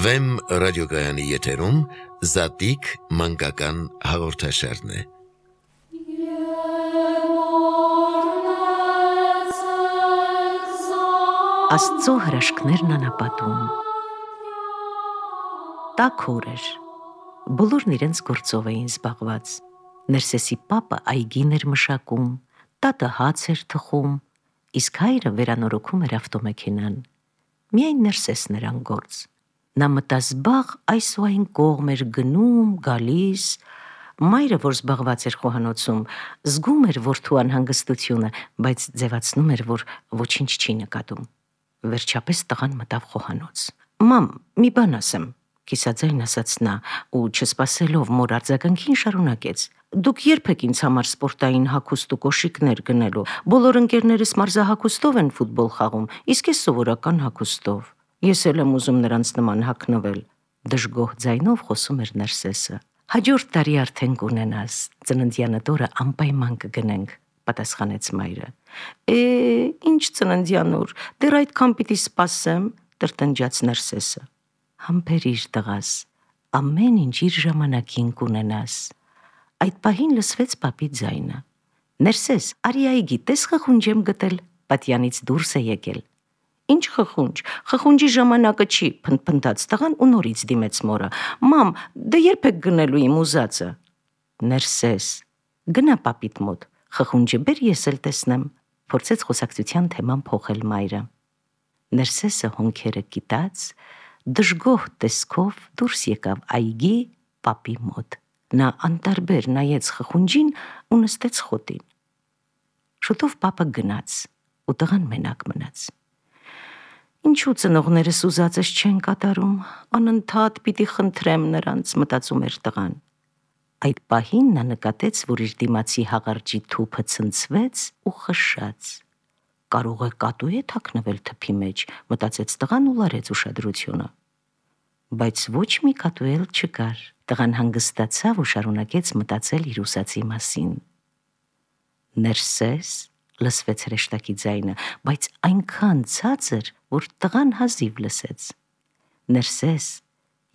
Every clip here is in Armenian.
Վեմ ռադիոգայանի եթերում Զատիկ մանկական հաղորդաշարն է։ Աստծո հրաշքներն անապատում։ Տաք օր էր։ Բոլորն իրենց գործով էին զբաղված։ Ներսեսի պապը այգին էր մշակում, տատը հաց էր թխում, իսկ հայրը վերանորոգում էր ավտոմեքենան։ Միայն Ներսեսն էր անգործ։ Նա մտազբաղ այս ու այն կողմ էր գնում, գալիս։ Մայրը, որ զբաղված էր խոհանոցում, զգում էր որդու անհանգստությունը, բայց ձևացնում էր, որ ոչինչ չի նկատում։ Վերջապես տղան մտավ խոհանոց։ «Մամ, մի բան ասեմ», կիսաձայն ասաց նա, ու չսպասելով մոր արձագանքին շարունակեց. «Դուք երբ եք ինձ համար սպորտային հագուստ ու կոշիկներ գնելու։ Բոլոր ընկերներս մարզահագուստով են ֆուտբոլ խաղում, իսկ ես սովորական հագուստով։ Ես էլ եմ ուզում նրանց նման հագնվել», դժգոհ ձայնով խոսում էր Ներսեսը։ «Հաջորդ տարի արդեն կունենաս, ծննդյանդ օրը անպայման կգնենք», պատասխանեց մայրը։ Ինչ ծննդյան օր, դեռ այդքան պիտի սպասեմ, տրտնջաց Ներսեսը։ «Համբերիր տղաս, ամեն ինչ իր ժամանակին կունենաս»։ Այդ պահին լսվեց պապի ձայնը. «Ներսես, արի այգի, տես խխունջ եմ գտել», պատյանից դուրս է եկել։ «Ինչ խխունջ, խխունջի ժամանակը չի», փնթփնթաց տղան ու նորից դիմեց մորը։ «Մամ, դե երբ եք գնելու իմ ուզածը»։ «Ներսես, գնա պապիդ մոտ, խխունջը բեր, ես էլ տեսնեմ», փորձեց խոսակցության թեման փոխել մայրը։ Ներսեսը հոնքերը կիտած, դժգոհ տեսքով դուրս եկավ այգի պապի մոտ։ Նա անտարբեր նայեց խխունջին ու նստեց խոտին։ Շուտով պապը գնաց, ու տղան մենակ մնաց։ «Ինչու ծնողներս ուզածս չեն կատարում, անընդհատ պիտի խնդրեմ նրանց», մտածում էր տղան։ Այդ պահին նա նկատեց, որ իր դիմացի հաղարջի թուփը ցնցվեց ու խշաց։ «Կարող է կատու է թաքնվել թփի մեջ», մտածեց տղան ու լարեց ուշադրությունը։ Բայց ոչ մի կատու էլ չկար։ Տղան հանգստացավ ու շարունակեց մտածել իր ուզածի մասին։ «Ներսես», լսվեց հրեշտակի ձայնը, բայց այնքան ցածր, որ տղան հազիվ լսեց։ «Ներսես,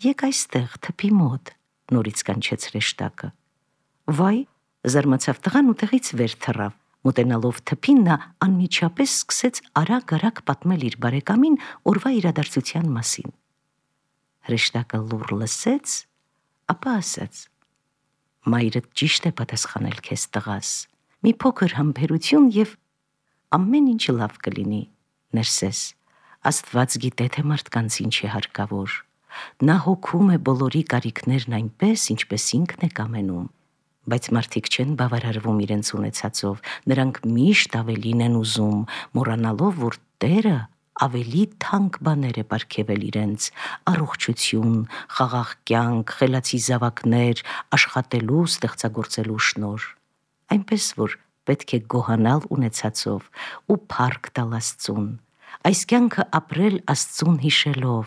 եկ այստեղ թփի մոտ», նորից կանչեց հրեշտակը։ «Վայ», զարմացավ տղան ու տեղից վեր թռավ։ Մոտենալով թփին, նա անմիջապես սկսեց արագ-արագ պատմել իր բարեկամին օրվա իրադարձության մասին։ Հրեշտակը լուռ լսեց, ապա ասաց. «Մայրդ ճիշտ է պատասխանել քեզ, տղաս։ Մի փոքր համբերություն և ամեն ինչ լավ կլինի, Ներսես։ Աստված գիտե, թե մարդկանց ինչ է հարկավոր։ Նա հոգում է բոլորի կարիքներն այնպես, ինչպես ինքն է կամենում։ Բայց մարդիկ չեն բավարարվում իրենց ունեցածով, նրանք միշտ ավելին են ուզում, մոռանալով, որ Տերը ավելի թանկ բաներ է պարգևել իրենց՝ առողջություն, խաղաղ կյանք, խելացի զավակներ, աշխատելու, ստեղծագործելու շնորհ։ Այնպես որ պետք է գոհանալ ունեցածով ու փառք տալ Աստծուն, այս կյանքը ապրել Աստծուն հիշելով,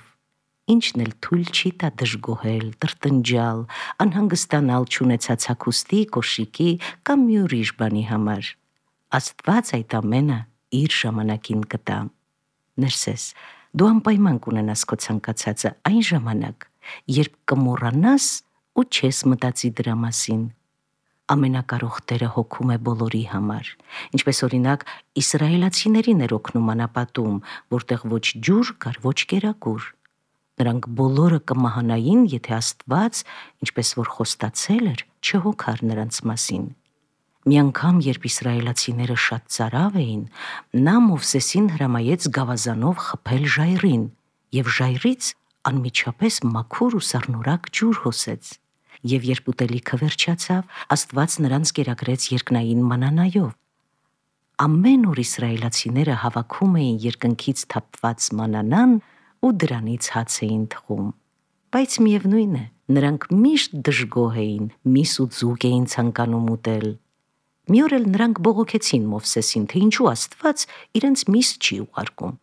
ինչն էլ թույլ չի տա դժգոհել, տրտնջալ, անհանգստանալ չունեցած հագուստի, կոշիկի կամ մի ուրիշ բանի համար։ Աստված այդ ամենը իր ժամանակին կտա։ Ներսես, դու անպայման կունենաս քո ցանկացածը այն ժամանակ, երբ կմոռանաս ու չես մտածի դրա մասին։ Ամենակարող Տերը հոգում է բոլորի համար, ինչպես օրինակ իսրայելացիներին էր օգնում անապատում, որտեղ ոչ ջուր կար, ոչ կերակուր։ Նրանք բոլորը կմահանային, եթե Աստված, ինչպես որ խոստացել էր, չհոգար նրանց մասին։ Մի անգամ, երբ իսրայելացիները շատ ծարավ էին, նա Մովսեսին հրամայեց գավազանով խփել ժայռին, և ժայռից անմիջապես մաքուր ու սառնորակ ջուր հոսեց։ Եվ երբ ուտելիքը վերջացավ, Աստված նրանց կերակրեց երկնային մանանայով։ Ամեն օր իսրայելացիները հավաքում էին երկնքից թափված մանանան ու դրանից հաց էին թխում։ Բայց միևնույն է, նրանք միշտ դժգոհ էին, միս ու ձուկ էին ցանկանում ուտել։ Մի օր էլ նրանք բողոքեցին Մովսեսին, թե ինչու Աստված իրենց միս չի ուղարկում։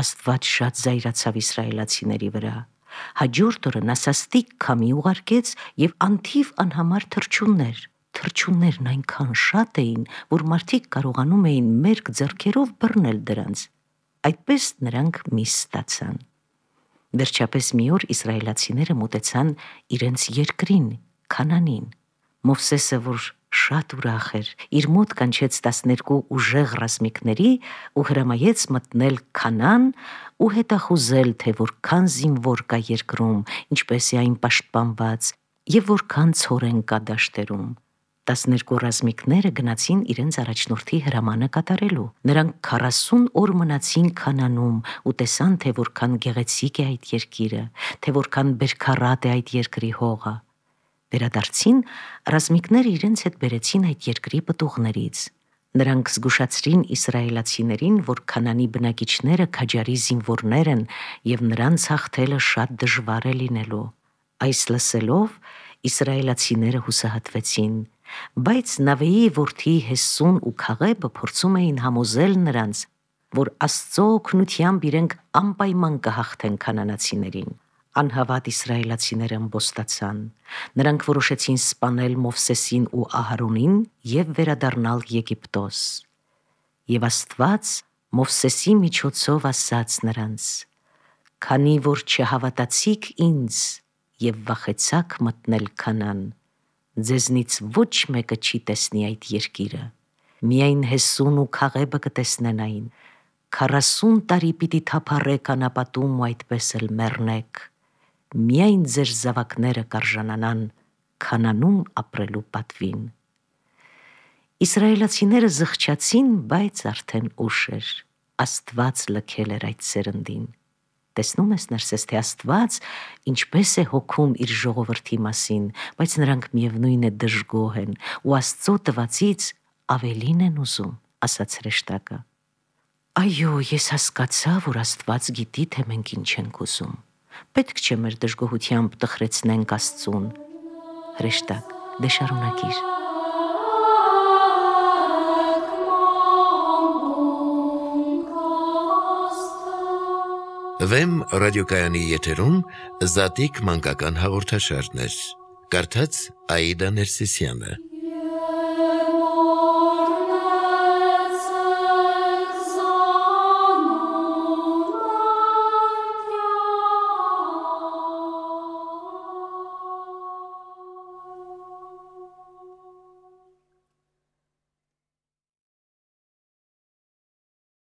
Աստված շատ զայրացավ իսրայելացիների վրա։ Հաջորդ օրը նա սաստիկ քամի ուղարկեց և անթիվ անհամար թռչուններն այնքան շատ էին, որ մարդիկ կարողանում էին մերկ ձեռքերով բռնել դրանց։ Այդպես նրանք միս ստացան։ Վերջապես մի օր իսրայելացիները մոտեցան իրենց երկրին, Քանանին։ Մովսեսը, որ շատ ուրախ էր, իր մոտ կանչեց 12 ուժեղ ռազմիկների ու հրամայեց մտնել Քանան ու հետախուզել, թե որքան զինվոր կա երկրում, ինչպես է այն պաշտպանված եւ որքան ցորեն կա դաշտերում։ 12 ռազմիկները գնացին իրենց առաջնորդի հրամանը կատարելու։ Նրանք 40 օր մնացին Քանանում ու տեսան, թե որքան գեղեցիկ է այդ երկիրը, թե որքան բերքառատ է այդ երկրի հողը։ Վերադարձին ռազմիկները իրենց հետ բերեցին այդ երկրի պտուղներից։ Նրանք զգուշացրին իսրայելացիներին, որ Քանանի բնակիչները քաջարի զինվորներ են եւ նրանց հաղթելը շատ դժվար է լինելու։ Այս լսելով իսրայելացիները հուսահատվեցին, բայց Նավեի որդի Հեսուն ու Քաղեբը փորձում էին համոզել նրանց, որ Աստծո օգնությամբ իրենք անպայման կհաղթեն քանանացիներին։ Անհավատ իսրայելացիները ըմբոստացան։ Նրանք որոշեցին սպանել Մովսեսին ու Ահարոնին եւ վերադառնալ Եգիպտոս։ Եվ Աստված Մովսեսի միջոցով ասաց նրանց. «Քանի որ չհավատացիք ինձ եւ վախեցաք մտնել Քանան, ձեզնից ոչ մեկը չի տեսնի այդ երկիրը, միայն Հեսուն ու Քաղեբը կտեսնեն այն, 40 տարի պիտի թափառեք անապատում ու այդպես էլ մեռնեք, միայն ձեր զավակները կարժանանան Քանանում ապրելու պատվին»։ Իսրայելացիները զղջացին, բայց արդեն ուշ էր, Աստված լքել էր այդ սերնդին։ Տեսնում ես, Ներսես, թե Աստված ինչպես է հոգում իր ժողովրդի մասին, բայց նրանք միևնույն է դժգոհ են ու Աստծո տվածից ավելին են ուզում, ասաց հրեշտակը։ Այո, ես հասկացա, որ Աստված գիտի, թե մենք ինչ ենք ուզում։ Պետք չէ մեր դժգոհությամբ տխրեցնենք Աստծուն։ Հրեշտակ, դե շարունակիր։ Վեմ ռադիոկայանի եթերում Զատիկ մանկական հաղորդաշարներ։ Կարդաց Աիդա Ներսիսյանը։